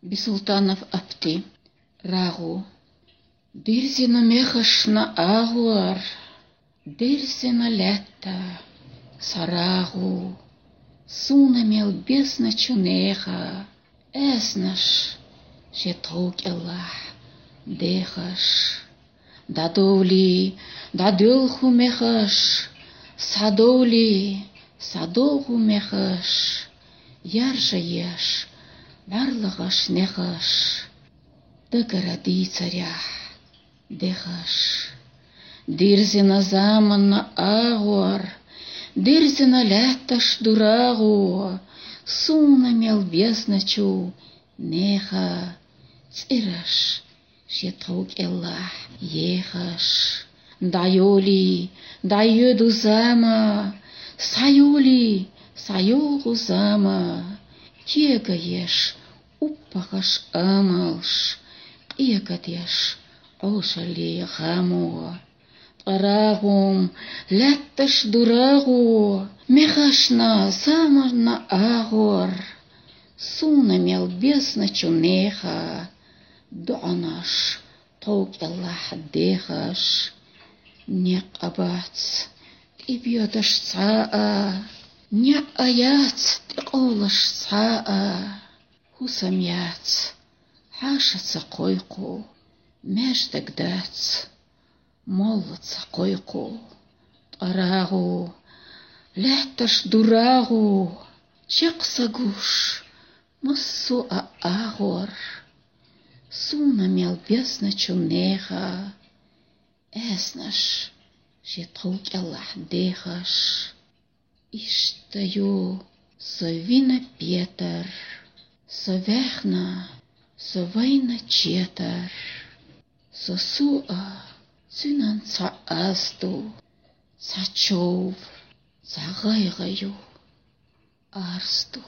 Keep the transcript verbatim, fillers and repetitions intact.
Бисултанов Апти. РагӀу. Дирзина мехашна агӀор, дирзина лаьтта са рагӀу, суна мел безначу неха, аьснаш шен тхов кӀелахь дехаш. ДӀадовли, дӀадоьлху мехаш, схьадовли, схьадогӀу мехаш, яржа еш, бӀарлагӀаш нехаш, дагара дийцарехь дехаш. Дирзина заманна агӀор, дирзина лаьтташ ду рагӀу, суна мел безначу неха, цӀераш шен тхов кӀелахь ехаш. ДӀайоли, дӀайоьду зама, схьайоли, схьайогӀу зама, кегаеш, уппагӀаш амалш, къегадеш Ӏошалле гӀамо. Ткъа рагӀум лаьтташ ду рагӀу, мехашна заманна агӀор, суна мел безначу неха, доӀанаш тхов кӀелахь дехаш. Некъ а бац тӀебоьдуш цхьа а, неӀ а яц тӀекъовлуш цхьа а, хӀусам яц хьаша ца кхойкху, маьждиг дац молла ца кхойкху. Ткъа рагӀу лаьтташ ду рагӀу, чекх са гуш массо а агӀор, суна мел безначу неха, аьснаш шен тхов кӀелахь дехаш. Иштта ю со вина петар, со ваьхна, со вайна четар, со су а цуьнан цхьа аз ду, цхьа чов, цхьа гӀайгӀа ю, арз ду.